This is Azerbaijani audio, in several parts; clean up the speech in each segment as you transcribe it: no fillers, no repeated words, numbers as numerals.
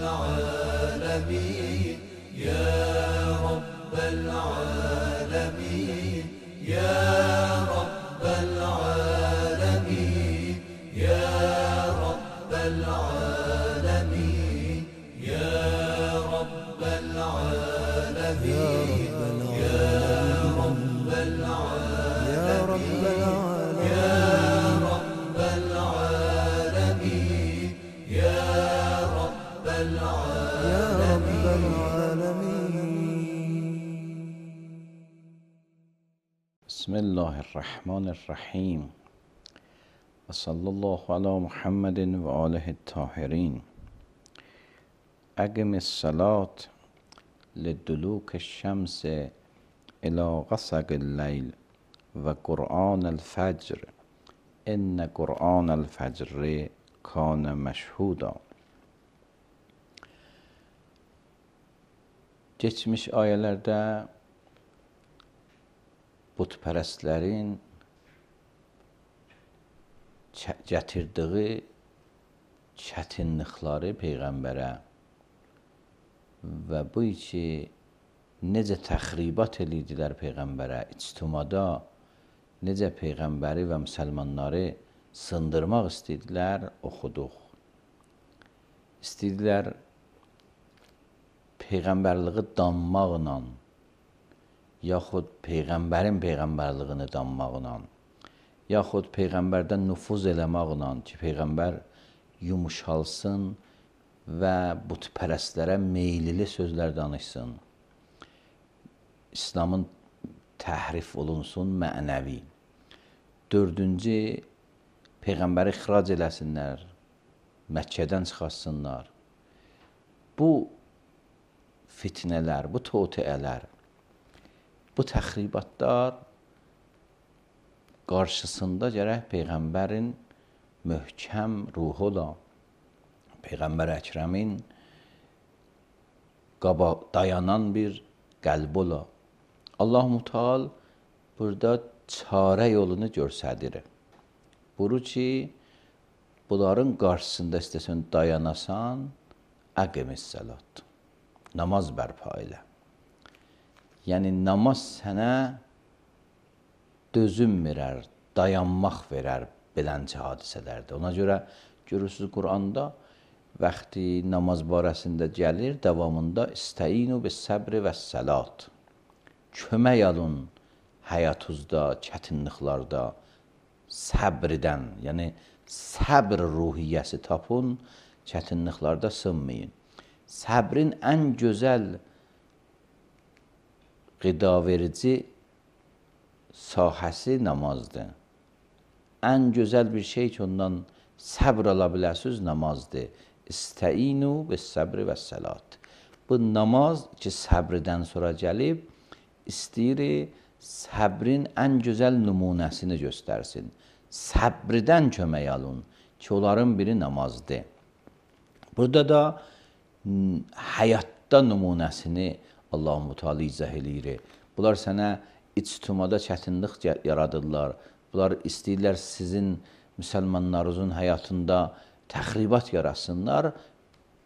العالمين يا رب العالمين يا رب العالمين يا رب العالمين يا رب العالمين يا رب العالمين يا رب العالمين يا رب العالمين. بسم الله الرحمن الرحیم و صلی الله علی محمد و آله الطاهرین. اقم الصلاة لدلوک الشمس الى غسق اللیل و قرآن الفجر ان قرآن الفجر کان مشهودا. Geçmiş ayələrdə butpərəstlərin gətirdiyi çətinlikləri Peyğəmbərə və bu ki, necə təxribat edirdilər Peyğəmbərə, ictimada necə Peyğəmbəri və müsəlmanları sındırmaq istədilər, oxuduq. İstədilər Peyğəmbərliyi danmaqla, yaxud Peyğəmbərin Peyğəmbərliyini danmaqla, yaxud Peyğəmbərdən nüfuz eləmaqla ki, Peyğəmbər yumuşalsın və butpərəstlərə meylili sözlər danışsın. İslamın təhrif olunsun mənəvi. Dördüncü, Peyğəmbəri ixrac eləsinlər, Məkkədən çıxartsınlar. Bu fitnələr, bu toteələr, bu təxribatlar qarşısında gərək Peyğəmbərin möhkəm ruhu ola, Peyğəmbər Əkrəmin dayanan bir qəlb ola. Allah-u Teala burada çarə yolunu göstərir. Buru ki, bunların qarşısında istəsən dayanasan, əqimis-səlat, namaz bərpa elə. Yəni, namaz sənə dözüm verər, dayanmaq verər belənçə hadisələrdə. Ona görə görürsünüz, Quranda vaxtı namaz barəsində gəlir, davamında İstəinu bis-səbri və-səlat. Kömək alın həyatınızda, çətinliklərdə, səbrdən, yəni səbr ruhiyyəsi tapın, çətinliklərdə sınmayın. Səbrin ən gözəl qidaverici sahəsi namazdır. Ən gözəl bir şey ki, ondan səbr ala biləsiniz, namazdır. İstəinu bis-səbri və-səlat. Bu namaz ki, səbrdən sonra gəlib, istəyir səbrin ən gözəl nümunəsini göstərsin. Səbrdən kömək alın ki, onların biri namazdır. Burada da həyatda nümunəsini Allah-u Teala izah eləyir. Bunlar sənə ictimada çətinlik yaradırlar. Bunlar istəyirlər sizin müsəlmanlarınızın həyatında təxribat yarasınlar.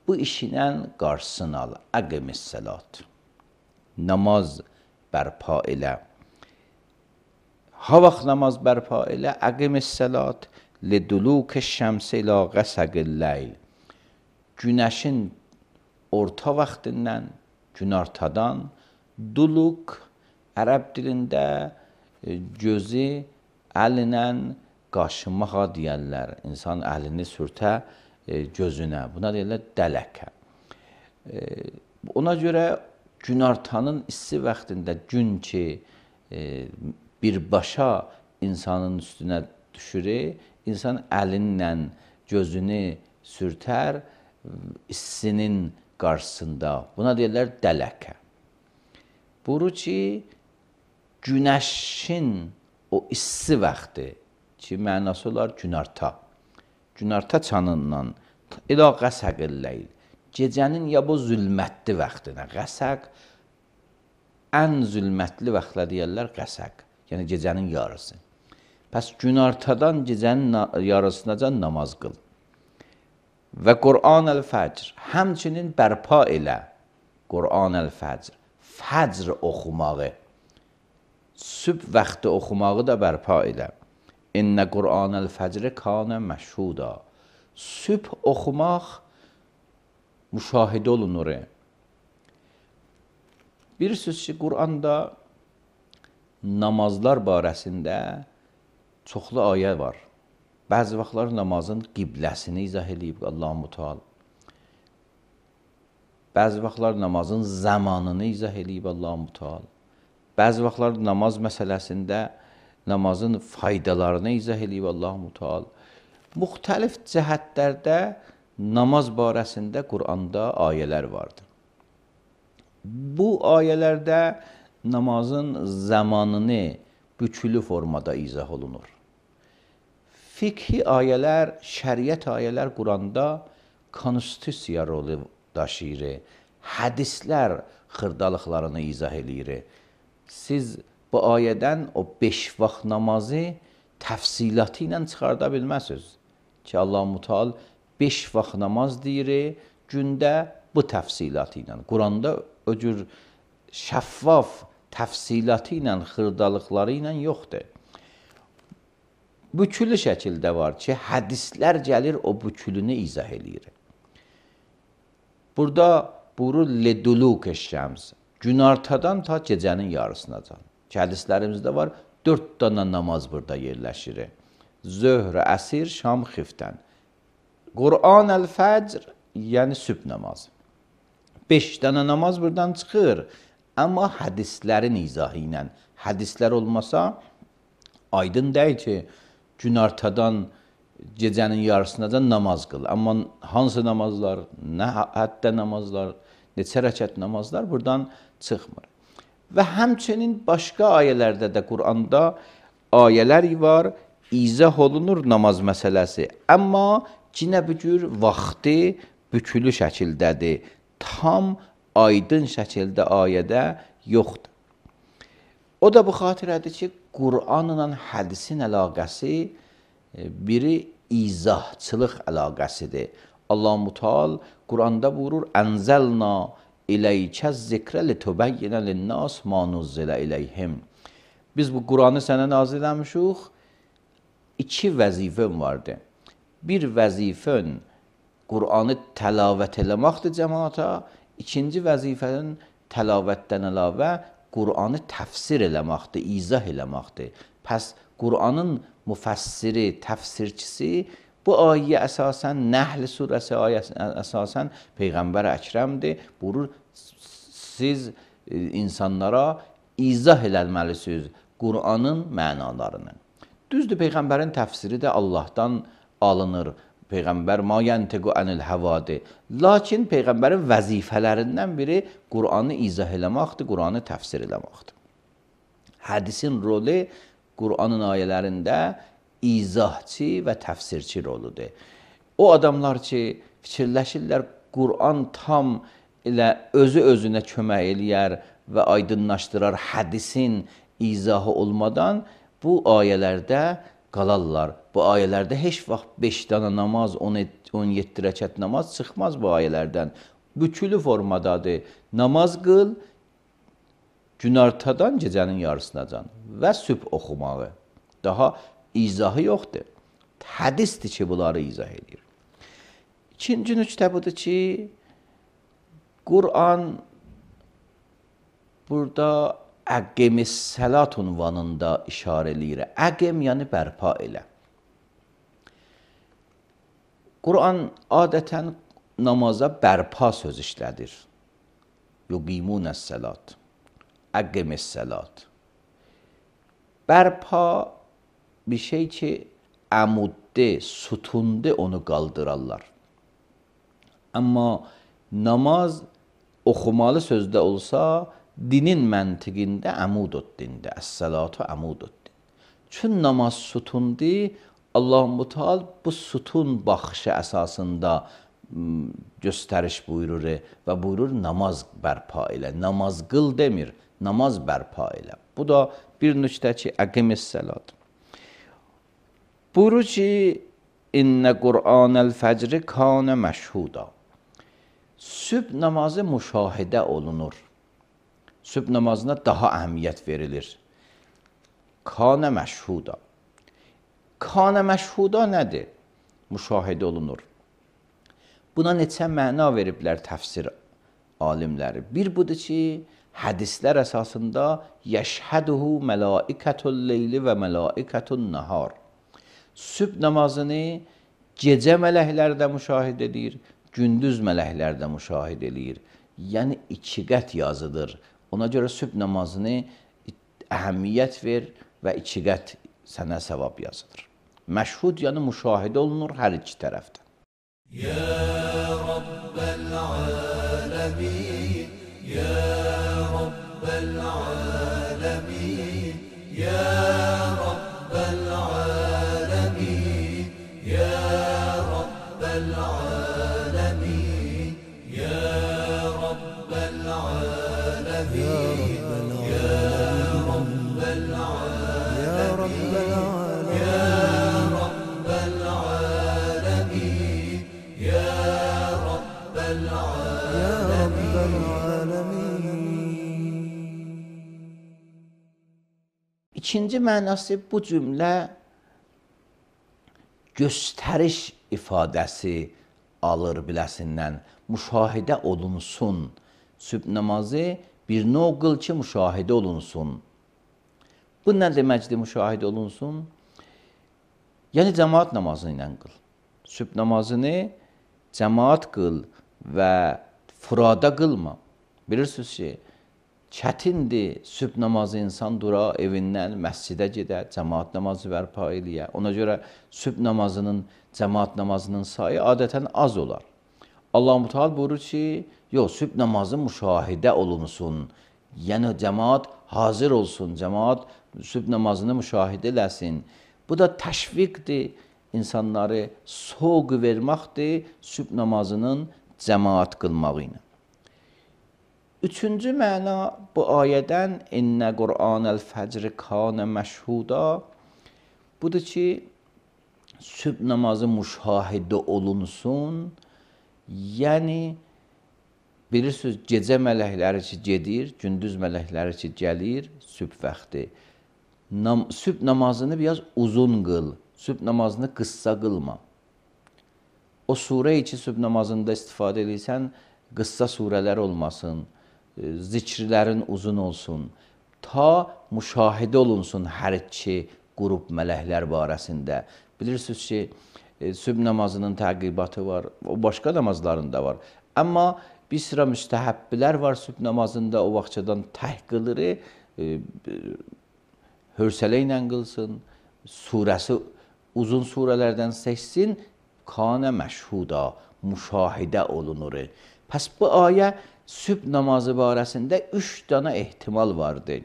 Bu işinən qarşısını al. Əqimis-səlat. Namaz bərpa elə. Ha vaxt namaz bərpa elə? Əqimis-səlat lidulukəş-şəmsi ilə qəsəqil-ləyl. Günəşin orta vaxtından, günortadan, duluq ərəb dilində gözü əlinlə qaşımağa deyərlər. İnsan əlini sürtə gözünə. Buna deyirlər dələkə. Ona görə günortanın issi vaxtında gün ki, birbaşa insanın üstünə düşür, insan əlinlə gözünü sürtər issinin qarşısında. Buna deyirlər dələkə. Buru ki, günəşin o issi vaxtı ki, mənası olar günorta. Günorta çanından ilə qəsəqil-ləyl. Gecənin ya bu zülmətli vaxtına. Qəsəq ən zülmətli vaxtla deyərlər qəsəq. Yəni gecənin yarısı. Pəs günortadan gecənin yarısınacan namaz qıl. və Qur'an el-fəcr, həmçinin bərpa elə Qur'an el-fəcr, fəcr oxumağı, sübh vaxtı oxumağı da bərpa elə. İnnə Qur'an el-fəcr kanə məşhuda. Sübh oxumaq müşahidə olunur. Bilirsiniz ki, Qur'anda namazlar barəsində çoxlu ayə var. Bəzi vaxtlar namazın qibləsini izah edib Allah-u Teala. Bəzi vaxtlar namazın zamanını izah edib Allah-u Teala. Bəzi vaxtlar namaz məsələsində namazın faydalarını izah edib Allah-u Teala. Müxtəlif cəhətlərdə namaz barəsində Qur'anda ayələr vardır. Bu ayələrdə namazın zamanını bükülü formada izah olunur. Fikhi ayələr, şəriət ayələr Qur'anda konstitusiya rolu daşıyır. Hədislər xırdalıqlarını izah edir. Siz bu ayədən o 5 vaxt namazı təfsilatı ilə çıxarda bilməzsiniz. Ki Allah-u Teala 5 vaxt namaz deyir, gündə bu təfsilatı ilə. Qur'anda o cür şəffaf təfsilatı ilə, xırdalıqları ilə yoxdur. Bükülü şəkildə var ki, hədislər gəlir, o bükülünü izah edir. Burada buyurur, leduluk şəms, günortadan ta gecənin yarısınacan. Ki, hədislərimizdə var, 4 dana namaz burada yerləşir. Zöhr, əsir, şam, xiftən. Qur'an el-fəcr, yəni sübh namazı. 5 dana namaz buradan çıxır. Amma hədislərin izahı ilə, hədislər olmasa, aydın deyil ki, günortadan gecənin yarısınacan namaz qıl. Amma hansı namazlar, nə həddə namazlar, neçə rəkət namazlar buradan çıxmır. Və həmçinin başqa ayələrdə də Qur'anda ayələr var, izah olunur namaz məsələsi. Amma yenə bu cür vaxtı bükülü şəkildədir. Tam aydın şəkildə ayədə yoxdur. O da bu xatirədir ki, Qur'anla hədisin əlaqəsi biri izahçılıq əlaqəsidir. Allah-u Teala Qur'anda buyurur, Ənzəlna iləykə zikrə litübəyyinə linnəs ma nuzzilə iləyhim. Biz bu Qur'anı sənə nazil eləmişik, 2 vəzifən vardı. Bir vəzifən Qur'anı təlavət eləməkdir cəmaata, İkinci vəzifənin təlavətdən əlavə Qur'anı təfsir eləməkdir, izah eləməkdir. Pəs Qur'anın müfəssiri, təfsirçisi bu ayə əsasən, Nəhl surəsi ayəsi əsasən Peyğəmbər Əkrəmdir. Buyurur, siz insanlara izah eləməlisiniz Qur'anın mənalarını. Düzdür, Peyğəmbərin təfsiri də Allahdan alınır. Peyğəmbər ma yantiqu anil havadir. Lakin Peyğəmbərin vəzifələrindən biri Qur'anı izah eləməkdir, Qur'anı təfsir eləməkdir. Hədisin rolu Qur'anın ayələrində izahçı və təfsirçi roludur. O adamlar ki, fikirləşirlər, Qur'an tam elə özü-özünə kömək eləyər və aydınlaşdırar hədisin izahı olmadan bu ayələrdə qalarlar. Bu ayələrdə heç vaxt 5 dana namaz, 17 rəkət namaz çıxmaz bu ayələrdən. Bükülü formadadır. Namaz qıl, günortadan gecənin yarısınacan və sübh oxumağı. Daha izahı yoxdur. Hədisdir ki, bunları izah edir. İkinci nüqtə budur ki, Qur'an burada əqqimis səlat unvanında işarə eləyir. Əqqim yəni bərpa elə. Qur'an adətən namaza bərpa söz işlədir. Yuqimunəs səlat. Əqqimis səlat. Bərpa bir şey ki, əmudde, sütunde onu qaldırarlar. Amma namaz oxumalı sözdə olsa, dinin məntiqində əmudud dində, əs-səlatu əmudud din. Çün namaz sütundur, Allah-u Teala bu sütun baxışı əsasında göstəriş buyurur və buyurur namaz bərpa elə. Namaz qıl demir, namaz bərpa elə. Bu da bir nüqtə ki, əqimis səlat. Buyurur ki, İnne Kur'anel fecri kâne meşhuda. Sübh namazı müşahede olunur. Sübh namazına daha əhəmiyyət verilir. Kâne meşhuda. Kâne meşhuda nədir? Müşahidə olunur. Buna neçə məna veriblər təfsir alimləri. Bir budur ki, hədislər əsasında yəşhəduhu mələikətul leyli və mələikətun nəhar. Sübh namazını gecə mələklər də müşahidə edir, gündüz mələklər də müşahidə edir. Yəni iki qət yazıdır. Ona görə sübh namazını əhəmiyyət ver və iki qət sənə savab yazılır. Məşhud yəni müşahidə olunur hər iki tərəfdən. Ya Rabbel alemin, Ya Rabbel alemin, Ya Rabbel alemin, Ya Rabbel alemin, Ya Rabbel alemin, Ya Rabbel alemin, Ya Rabbel İkinci mənası bu cümlə göstəriş ifadəsi alır biləsindən. Müşahidə olunsun. Sübh namazı bir növ qıl ki, müşahidə olunsun. Bu nə deməkdir müşahidə olunsun? Yəni cəmaat namazı ilə qıl. Sübh namazını cəmaat qıl və furada qılma. Bilirsiniz ki, çətindir sübh namazı insan dura, evindən məscidə gedə, cəmaat namazı bərpa eləyə. Ona görə sübh namazının, cəmaat namazının sayı adətən az olar. Allah-u Teala buyurur ki, yox, sübh namazı müşahidə olunsun. Yəni cəmaat hazır olsun, cəmaat sübh namazını müşahidə eləsin. Bu da təşviqdir, insanları soğuq verməkdir sübh namazının cəmaat qılmağı ilə. Üçüncü məna bu ayədən İnnə Qur'anəl fəcri kânə məşhuda budur ki, sübh namazı müşahidə olunsun. Yəni, bilirsiniz, gecə mələkləri ki gedir, gündüz mələkləri ki gəlir, sübh vaxtı. Sübh namazını biraz uzun qıl, sübh namazını qıssa qılma. O surə-i ki, sübh namazında istifadə edirsən, qıssa surələr olmasın, zikrlərin uzun olsun, ta müşahidə olunsun hər iki qrup mələklər barəsində. Bilirsiniz ki, sübh namazının təqibatı var, o başqa namazlarında var. Amma bir sıra müstəhəbbilər var sübh namazında, o vaxtçadan təh qılır, hörsələ ilə qılsın, surəsi uzun surələrdən seçsin, kânə məşhuda, müşahidə olunur. Pəs bu ayə sübh namazı barəsində 3 dənə ehtimal vardır.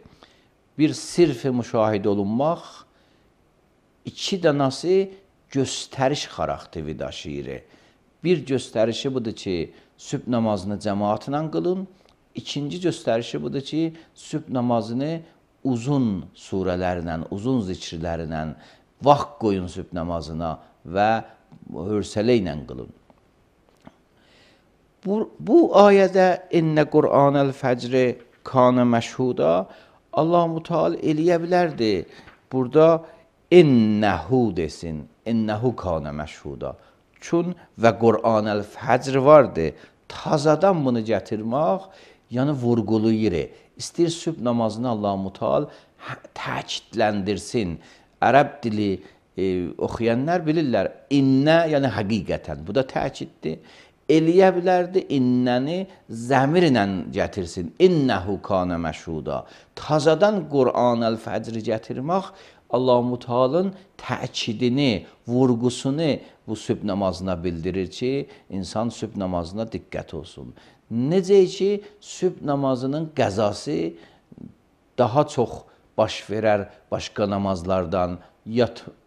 Bir sirf-i müşahidə olunmaq, 2 dənəsi göstəriş xarakteri daşıyır. Bir göstərişi budur ki, sübh namazını cəmaatla qılın. İkinci göstərişi budur ki, sübh namazını uzun surələrlə, uzun zikrlərlə vaxt qoyun sübh namazına və hörsələ ilə qılın. Bu ayədə İnnə Qur'anəl fəcri kânə məşhuda Allah-u Teala eləyə bilərdi. Burada innəhu desin, innəhu kânə məşhuda. Çün və Qur'anəl fəcr vardı. Tazadan bunu gətirmək, yəni vurğulayır. İstəyir sübh namazını Allah-u Teala təkidləndirsin. Ərəb dili oxuyanlar bilirlər. İnnə, yəni həqiqətən. Bu da təkiddir. Eləyə bilərdi, innəni zəmirlə gətirsin. İnnəhu kânə məşhuda. Tazadan Qur'anəl fəcri gətirmək, Allah-u Teala'nın təkidini, vurğusunu bu sübh namazına bildirir ki, insan sübh namazına diqqət olsun. Necə ki, sübh namazının qəzası daha çox baş verər başqa namazlardan.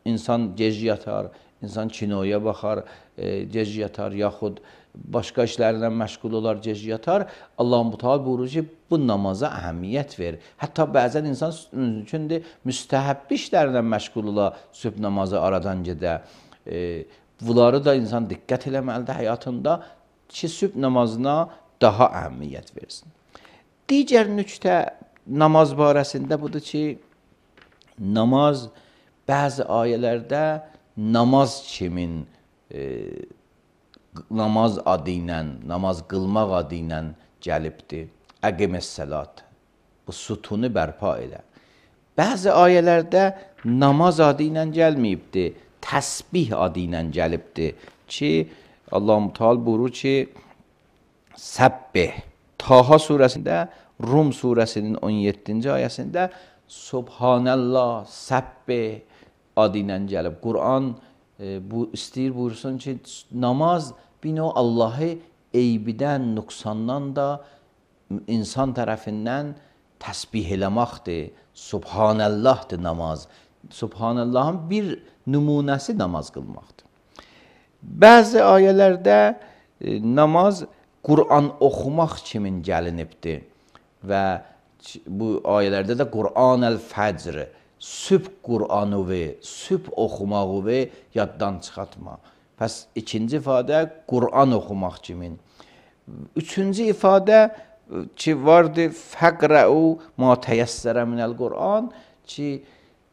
İnsan gec yatar, insan kinoya baxar, gec yatar, yaxud başqa işlərlə məşğul olar, gec yatar. Allah-u Teala buyurur ki, bu namaza əhəmiyyət ver. Hətta bəzən insan üçündür, müstəhəbbi işlərlə məşğul ola, sübh namazı aradan gedə. Bunları da insan diqqət eləməlidir həyatında ki, sübh namazına daha əhəmiyyət versin. Digər nüktə namaz barəsində budur ki, namaz bəzi ayələrdə namaz kimin namaz adı ilə, namaz qılmaq adı ilə gəlibdir. Əqiməs-səlat. Bu sütunu bərpa elə. Bəzi ayələrdə namaz adı ilə gəlməyibdir. Təsbih adı ilə gəlibdir ki, Allah-u Teala buyurur ki, Səbbih. Taha surəsində, Rum surəsinin 17-ci ayəsində Subhanallah, Səbbih adı ilə gəlib. Quran bu istəyir buyursun ki, namaz bir növ Allahı eybidən, nüqsandan da insan tərəfindən təsbih eləməkdir. Subhanallahdır namaz. Subhanallahın bir nümunəsi namaz qılmaqdır. Bəzi ayələrdə namaz Quran oxumaq kimin gəlinibdir və bu ayələrdə də Quran-əl-Fəcr, sübh Qur'anı və sübh oxumağı və yaddan çıxartma. Pəs ikinci ifadə Qur'an oxumaq kimin. Üçüncü ifadə ki vardır, fəqrəu ma təyəssərə minəl Qur'an ki,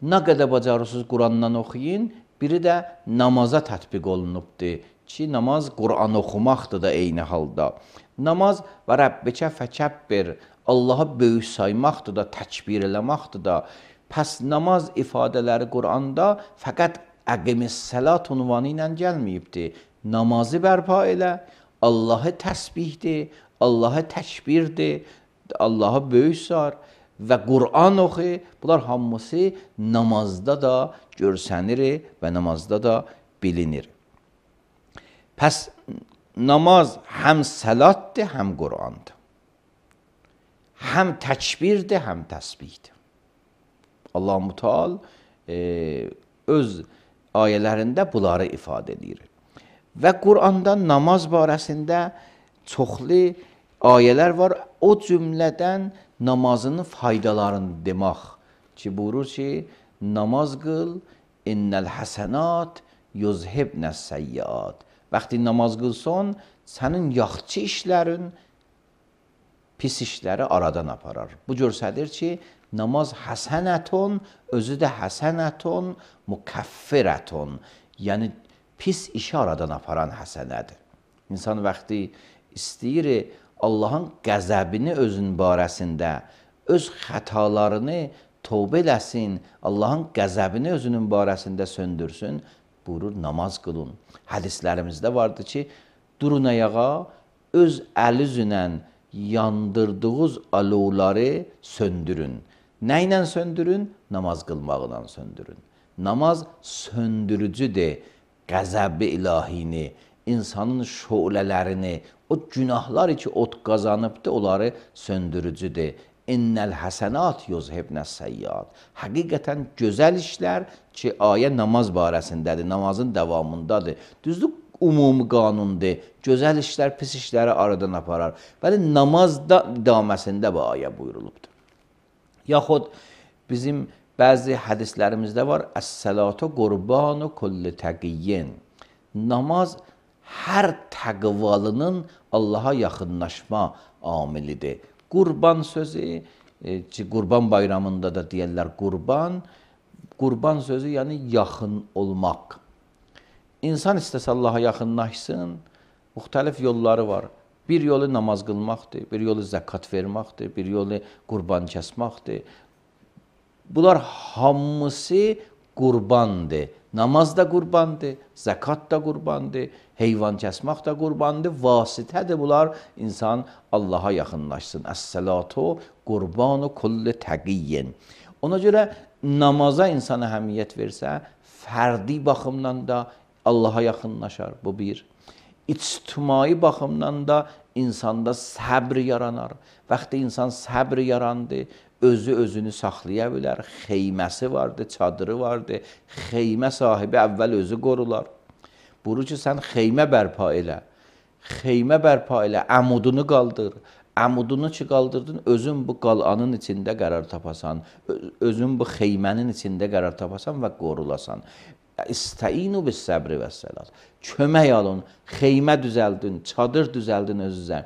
nə qədər bacarırsınız Qurandan oxuyun, biri də namaza tətbiq olunubdur ki, namaz Quran oxumaqdır da eyni halda. Namaz və Rəbbikə fəkəbbir, Allaha böyük saymaqdır da, təkbir eləmaqdır da. Pəs namaz ifadələri Quranda fəqət əqiməs-səlat unvanı ilə gəlməyibdir. Namazı bərpa elə, Allahı təsbihdir, Allahı təkbirdir, Allaha böyük sar və Quran oxu, bunlar hamısı namazda da görsənir və namazda da bilinir. Pəs namaz həm səlatdır, həm Qurandır. Həm təkbirdir, həm təsbihdir. Allah-u Teala öz ayələrində bunları ifadə edir. Və Quranda namaz barəsində çoxlu ayələr var. O cümlədən namazının faydalarını demək ki, buyurur ki, namaz qıl, innəl həsənat yuzhibnəs səyyiat. Vaxtı namaz qılsan, sənin yaxşı işlərin pis işləri aradan aparar. Bu göstərir ki, namaz həsənətun, özü də həsənətun, mükaffirətun. Yəni, pis işi aradan aparan həsənədir. İnsan vaxtı istəyir, Allahın qəzəbini özün barəsində, öz xətalarını tövbə eləsin, Allahın qəzəbini özünün barəsində söndürsün, buyurur, namaz qılın. Hədislərimizdə vardır ki, durun ayağa, öz əl üzünə yandırdığınız alovları söndürün. Nə ilə söndürün? Namaz qılmaqla söndürün. Namaz söndürücüdür, qəzəb-i ilahini, insanın şölələrini, o günahlar ki, ot qazanıbdır, onları söndürücüdür. İnnəl həsənat yuzhibnəs səyyiat. Həqiqətən gözəl işlər ki, ayə namaz barəsindədir, namazın davamındadır. Düzdür, umumi qanundur. Gözəl işlər pis işləri aradan aparar. Bəli, namazda idaməsində bu ayə buyurulubdur. Yaxud bizim bəzi hədislərimizdə var, əs-səlatu qurbanu kulli təqiyyin. Namaz hər təqvalının Allaha yaxınlaşma amilidir. Qurban sözü, Qurban bayramında da deyərlər qurban. Qurban sözü yəni yaxın olmaq. İnsan istəsə Allaha yaxınlaşsın, müxtəlif yolları var. Bir yolu namaz qılmaqdır, bir yolu zəkat verməkdir, bir yolu qurban kəsməkdir. Bunlar hamısı qurbandır. Namaz da qurbandır, zəkat da qurbandır, heyvan kəsmək də qurbandır, vasitədir bunlar insan Allaha yaxınlaşsın. Əs-səlatu qurbanu kulli təqiyyin. Ona görə namaza insan əhəmiyyət versə, fərdi baxımdan da Allaha yaxınlaşar, bu bir. İctimai baxımdan da insanda səbr yaranar. Vaxtı insan səbr yarandı, özünü saxlaya bilər, xeyməsi vardı, çadırı vardı, xeymə sahibi əvvəl özü qorular. Buyurur ki, sən xeymə bərpa elə, xeymə bərpa elə, əmudunu qaldır, əmudunu ki qaldırdın, özün bu qalanın içində qərar tapasan, özün bu xeymənin içində qərar tapasan və qorulasan. İstəinu bis səbri və səlat. Kömək alın, xeymə düzəldin, çadır düzəldin özünüzə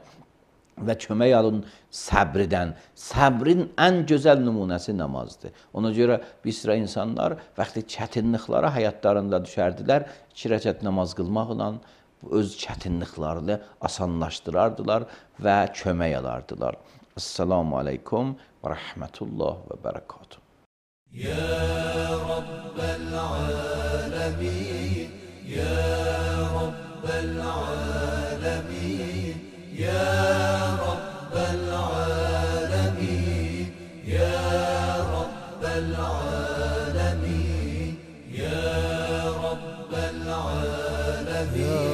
və kömək alın səbrdən. Səbrin ən gözəl nümunəsi namazdır. Ona görə bir sıra insanlar vaxtı çətinliklərə həyatlarında düşərdilər, 2 rəkət namaz qılmaqla öz çətinliklərini asanlaşdırardılar və kömək alardılar. Esselamu aleykum və rəhmətullah və bərəkatuhu. يا رب العالمين يا رب العالمين يا رب العالمين يا رب العالمين يا رب العالمين